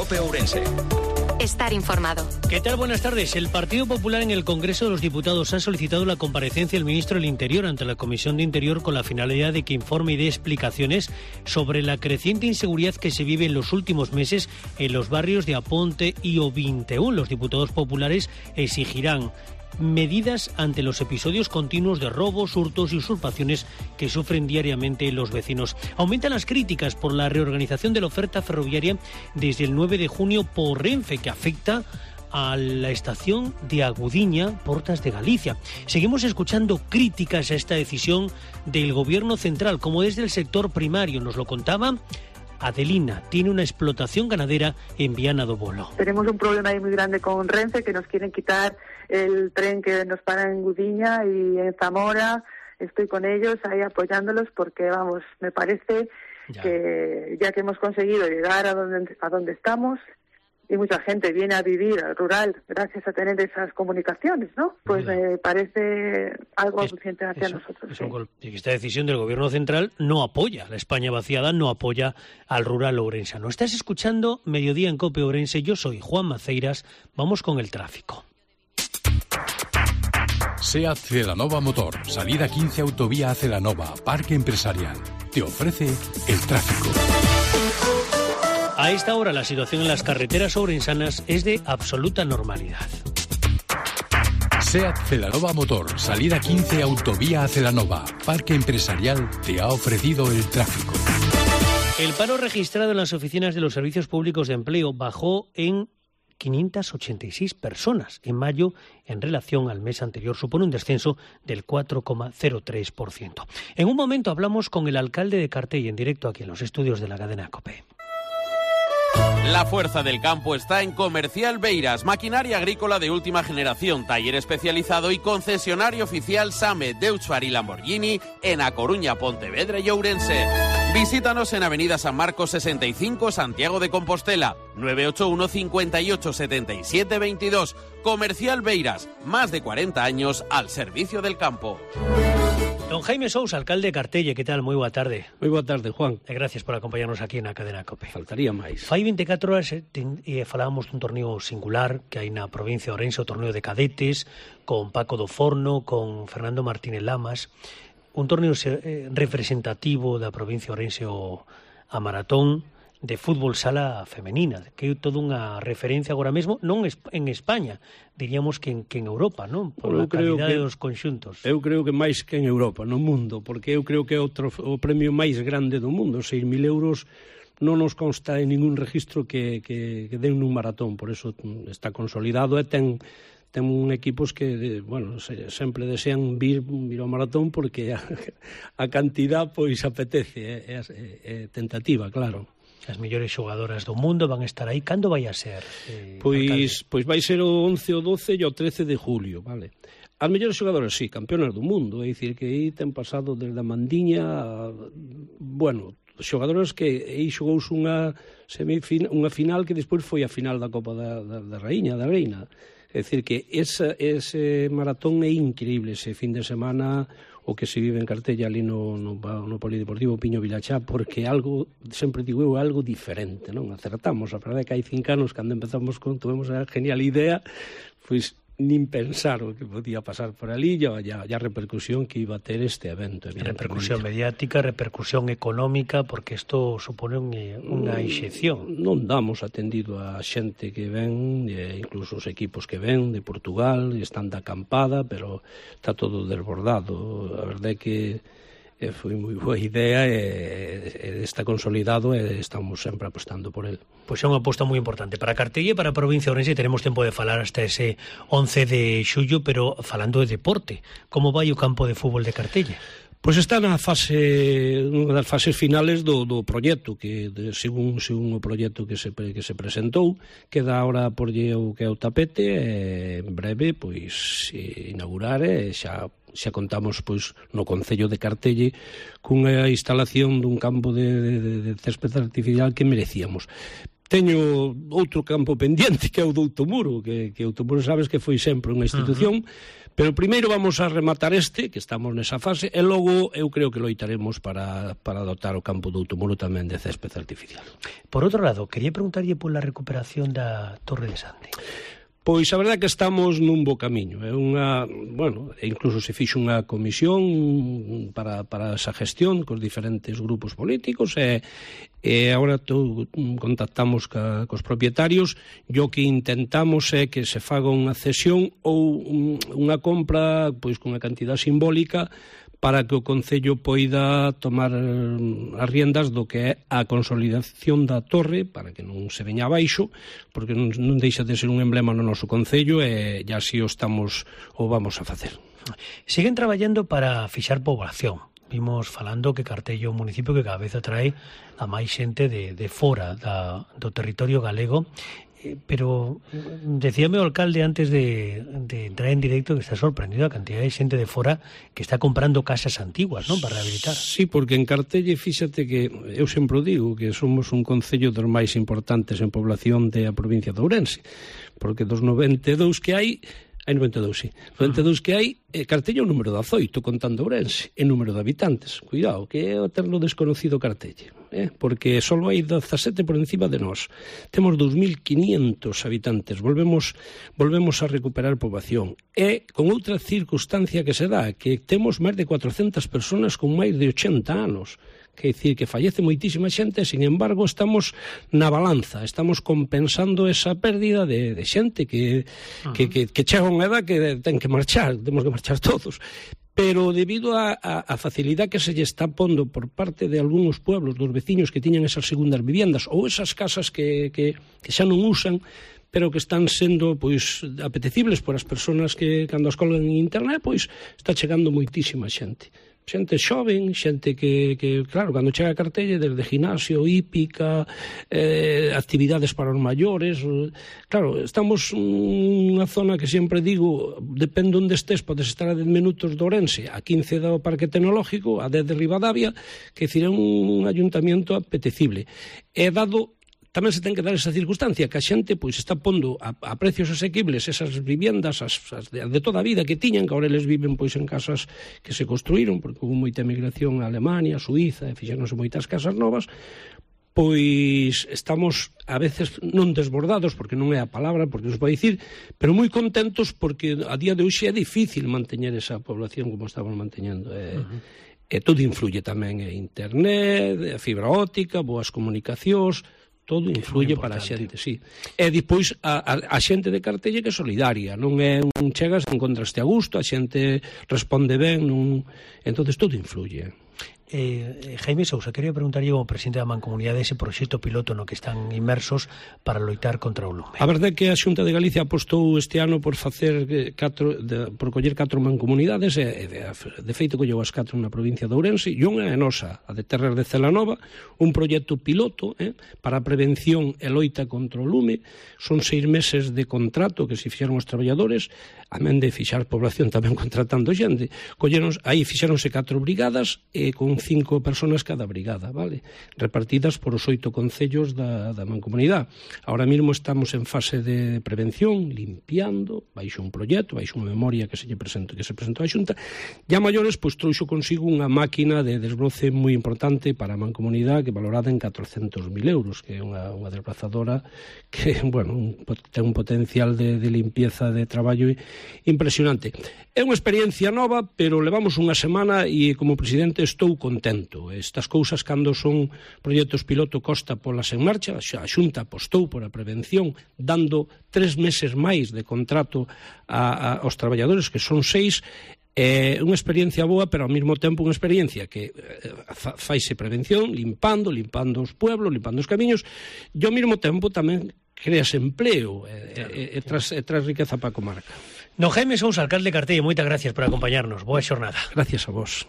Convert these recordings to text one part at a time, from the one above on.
COPE Ourense. Estar informado. ¿Qué tal? Buenas tardes. El Partido Popular en el Congreso de los Diputados ha solicitado la comparecencia del ministro del Interior ante la Comisión de Interior con la finalidad de que informe y dé explicaciones sobre la creciente inseguridad que se vive en los últimos meses en los barrios de Aponte y O21. Los diputados populares exigirán medidas ante los episodios continuos de robos, hurtos y usurpaciones que sufren diariamente los vecinos. Aumentan las críticas por la reorganización de la oferta ferroviaria desde el 9 de junio por Renfe, que afecta a la estación de Agudiña, Portas de Galicia. Seguimos escuchando críticas a esta decisión del Gobierno central, como desde el sector primario. Nos lo contaba Adelina, tiene una explotación ganadera en Viana do Bolo. Tenemos un problema ahí muy grande con Renfe, que nos quieren quitar el tren que nos para en Gudiña y en Zamora. Estoy con ellos ahí apoyándolos porque, vamos, me parece que ya que hemos conseguido llegar a donde estamos, y mucha gente viene a vivir al rural gracias a tener esas comunicaciones, ¿no? Pues me parece algo alucinante hacia nosotros. Esta decisión del Gobierno central no apoya a la España vaciada, no apoya al rural ourensano. Estás escuchando Mediodía en COPE Ourense. Yo soy Juan Maceiras. Vamos con el tráfico. SEAT Celanova Motor, salida 15 autovía a Celanova, Parque Empresarial. Te ofrece el tráfico. A esta hora la situación en las carreteras ourensanas es de absoluta normalidad. SEAT Celanova Motor, salida 15 autovía a Celanova, Parque Empresarial te ha ofrecido el tráfico. El paro registrado en las oficinas de los servicios públicos de empleo bajó en 586 personas en mayo en relación al mes anterior. Supone un descenso del 4,03%. En un momento hablamos con el alcalde de Cartell en directo aquí en los estudios de la cadena COPE. La fuerza del campo está en Comercial Beiras, maquinaria agrícola de última generación, taller especializado y concesionario oficial SAME, Deutscher y Lamborghini en A Coruña, Pontevedra y Ourense. Visítanos en Avenida San Marcos 65, Santiago de Compostela, 981 58 77 22. Comercial Beiras, más de 40 años al servicio del campo. Don Jaime Sousa, alcalde de Cartelle, ¿qué tal? Moi boa tarde. Moi boa tarde, Juan. E gracias por acompañarnos aquí na cadena COPE. Faltaría máis. Fai 24 horas falábamos dun torneo singular que hai na provincia de Ourense, o torneo de cadetes, con Paco do Forno, con Fernando Martínez Lamas, un torneo representativo da provincia de Ourense, a maratón de fútbol sala femenina, que é toda unha referencia agora mesmo, non en España, diríamos que en Europa, non? Por a calidade dos conxuntos. Eu creo que máis que en Europa, no mundo, porque eu creo que é o premio máis grande do mundo, 6.000 euros, non nos consta en ningún registro que den nun maratón, por eso está consolidado e ten equipos que, bueno, sempre desean vir ao maratón porque a cantidad pois apetece, é tentativa, claro. As mellores xogadoras do mundo van a estar aí. Cando vai a ser? Pois vai ser o 11, o 12 e o 13 de julio, vale. As mellores xogadoras, sí, campeonas do mundo, é dicir que aí ten pasado desde a Mandiña, bueno, xogadoras que aí xogouse unha final que despois foi a final da Copa da Raíña, da Reina. É dicir que ese maratón é increíble, ese fin de semana o que se vive en Cartella ali no Polideportivo Piño Vilachá, porque algo, sempre digo eu, algo diferente, non? Acertamos, a verdade é que hai 5 anos, cando empezamos tuvemos a genial idea, pois nin pensar o que podía pasar por ali e a repercusión que iba a ter este evento. Repercusión mediática, repercusión económica, porque isto supone unha inxección. Non damos atendido a xente que ven, incluso os equipos que ven de Portugal, están de acampada, pero está todo desbordado. A verdade é que foi moi boa idea e está consolidado e estamos sempre apostando por el. Pois é unha aposta moi importante para Cartelle e para a provincia de Ourense. Teremos tempo de falar hasta ese 11 de xullo, pero falando de deporte, como vai o campo de fútbol de Cartelle? Pois está unha das fases finales do proxecto, que según o proxecto que se presentou, queda ahora porlle o que é o tapete, e en breve pois inaugurar e xa contamos pois no concello de Cartelle cunha instalación dun campo de césped artificial que merecíamos. Teño outro campo pendiente que é o do Outomuro, que Outomuro sabes que foi sempre unha institución, pero primeiro vamos a rematar que estamos nesa fase, e logo eu creo que loitaremos para dotar o campo do Outomuro tamén de césped artificial. Por outro lado, quería preguntarlle pola recuperación da Torre de Sande. Pois a verdade é que estamos nun bo camiño. É incluso se fixo unha comisión para esa gestión cos diferentes grupos políticos e agora contactamos cos propietarios e o que intentamos é que se faga unha cesión ou unha compra pois con unha cantidad simbólica para que o Concello poida tomar as riendas do que é a consolidación da torre, para que non se veña abaixo, porque non deixa de ser un emblema no noso Concello e así o vamos a facer. Siguen traballando para fixar poboación. Vimos falando que Cartello é un municipio que cada vez atrae a máis xente de fora do territorio galego, pero decíame o alcalde antes de entrar en directo que está sorprendido a cantidad de xente de fora que está comprando casas antiguas, non, para rehabilitar. Sí, porque en Cartelle, fíxate que eu sempre digo que somos un concello dos máis importantes en población da provincia de Ourense, porque dos 92 que hai 92, sí. 92 que hai, Cartelle é o número 18, contando Ourense, e número de habitantes. Cuidado, que é o terno desconocido Cartelle, porque só hai 17 por encima de nós. Temos 2.500 habitantes, volvemos a recuperar poboación. E con outra circunstancia que se dá, que temos máis de 400 personas con máis de 80 anos. Quer dicir que fallece moitísima xente, sin embargo estamos na balanza, estamos compensando esa pérdida de xente que chega a unha edad que ten que marchar, temos que marchar todos. Pero debido a facilidade que se lle está pondo por parte de algúns pueblos, dos veciños que tiñan esas segundas viviendas ou esas casas que xa non usan, pero que están sendo pois apetecibles por as persoas que cando as colgan en internet, pois está chegando moitísima xente. Xente xoven, xente que claro, cando chega a Cartelle, desde ginasio, hípica, actividades para os maiores, claro, estamos nunha zona que sempre digo, depende onde estés, podes estar a 10 minutos de Ourense, a 15 do Parque Tecnológico, a 10 de Ribadavia, que é un ayuntamiento apetecible. E dado tamén se ten que dar esa circunstancia que a xente pois está pondo a precios asequibles esas viviendas as de toda a vida que tiñan, que agora eles viven pois en casas que se construíron porque houve moita emigración a Alemania, a Suíza, e fixéronse moitas casas novas, pois estamos a veces non desbordados, porque non é a palabra, porque non se pode dicir, pero moi contentos porque a día de hoxe é difícil manteñer esa población como estamos manteñendo. E todo influye tamén, internet, a fibra óptica, boas comunicacións, todo influye para a xente, sí. E depois a xente de Cartelle que é solidaria, non é un chegas, encontraste a gusto, a xente responde ben, entonces todo influye. Jaime Sousa, quería preguntarlle como presidente da Mancomunidade ese proxecto piloto no que están inmersos para loitar contra o lume. A verdade é que a Xunta de Galicia apostou este ano por facer por coller 4 mancomunidades e de feito colleu as 4 na provincia de Ourense e unha é nosa, a de Terras de Celanova, un proxecto piloto para a prevención e loita contra o lume. Son 6 meses de contrato que se fixeron os traballadores, amén de fixar población tamén contratando xente. Aí fixeronse 4 brigadas e con 5 personas cada brigada, vale? Repartidas por os 8 concellos da mancomunidade. Ahora mesmo estamos en fase de prevención, limpiando, baixo un proxecto, baixo unha memoria que se presentou á Xunta, e a maiores, pois, trouxo consigo unha máquina de desbroce moi importante para a mancomunidade que valorada en 400.000 euros, que é unha desbrazadora que, bueno, ten un potencial de limpieza de traballo impresionante. É unha experiencia nova, pero levamos unha semana e como presidente estou contento. Estas cousas, cando son proxectos piloto, costa polas en marcha. A Xunta apostou por a prevención, dando 3 meses máis de contrato aos traballadores, que son 6. É unha experiencia boa, pero ao mesmo tempo unha experiencia que faise prevención, limpando os pueblos, limpando os camiños, e ao mesmo tempo tamén creas empleo e tras riqueza para a comarca. No Jaime Sousa, alcalde de Cartelle, moitas gracias por acompañarnos. Boa xornada. Gracias a vos.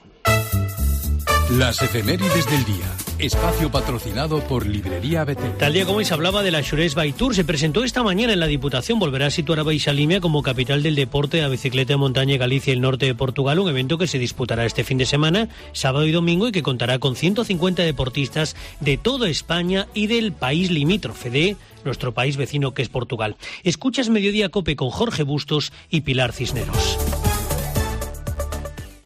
Las efemérides del día. Espacio patrocinado por Librería Betel. Tal día como hoy se hablaba de la Xurés Bike Tour, se presentó esta mañana en la Diputación. Volverá a situar a Baixalimia como capital del deporte a bicicleta de montaña en Galicia y el norte de Portugal, un evento que se disputará este fin de semana, sábado y domingo, y que contará con 150 deportistas de toda España y del país limítrofe de nuestro país vecino, que es Portugal. Escuchas Mediodía Cope con Jorge Bustos y Pilar Cisneros.